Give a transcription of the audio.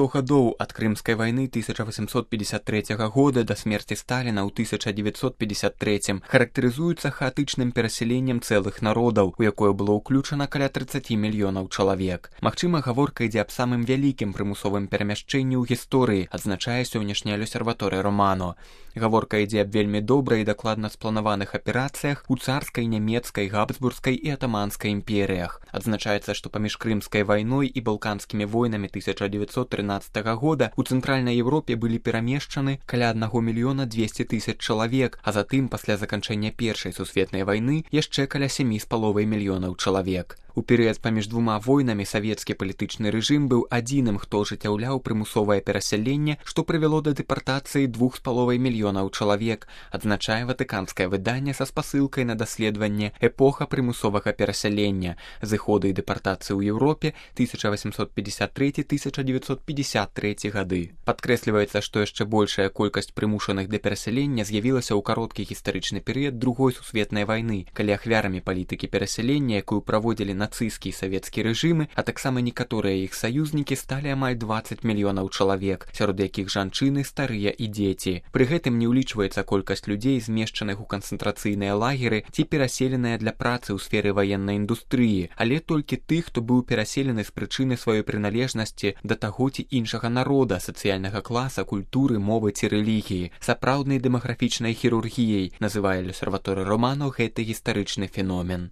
100 гадоў ад Крымскай вайны 1853 года да смерці Сталіна ў 1953 характарызуюцца хаатычным перасяленнем цэлых народаў, у якое было ўключана каля 30 мільёнаў чалавек. Магчыма, гаворка ідзе аб самым вялікім прымусовым перамяшчэнні ў гісторыі, адзначае сённяшняя L'Osservatore Romano. Гаворка ідзе аб вельмі добра і дакладна спланаваных аперацыях у царскай, нямецкай, габсбургскай і атаманскай імперыях. Адзначаецца, што паміж Крымскай вайной і балканскімі войнамі 1913 года у Цэнтральнай Еўропе былі перамешчаны каля 1 мільёна 200 тысяч чалавек, а затым пасля заканчэння Першай сусветнай вайны яшчэ каля 7,5 мільёнаў чалавек. У перыяд паміж двума войнамі савецкі палітычны рэжым быў адзіным, хто ажыццяўляў прымусовае перасяленне, што прывяло да дэпартацыі 2,5 мільёнаў чалавек, адзначае ватыканскае выданне са спасылкай на даследаванне «Эпоха прымусовага перасялення. Зыходы і дэпартацыі ў Еўропе 1853-1953 гады». Падкрэсліваецца, што яшчэ большая колькасць прымушаных да перасялення з'явілася ў кароткі гістарычны перыяд Другой сусветнай вайны, калі ахвярамі палітыкі перасялення, якую праводзілі нацысцкі і савецкі рэжымы, а таксама некаторыя іх саюзнікі сталі амаль 20 мільёнаў чалавек, сярод якіх жанчыны, старыя і дзеці. Пры гэтым не ўлічваецца колькасць людзей, змешчаных у канцэнтрацыйныя лагеры ці пераселеныя для працы ў сферы ваеннай індустрыі, але толькі тых, хто быў пераселены з прычыны сваёй прыналежнасці да таго ці іншага народа, сацыяльнага класа, культуры, мовы ці рэлігіі. Сапраўднай дэмаграфічнай хірургіяй называе L'Osservatore Romano гэты гістарычны феномен.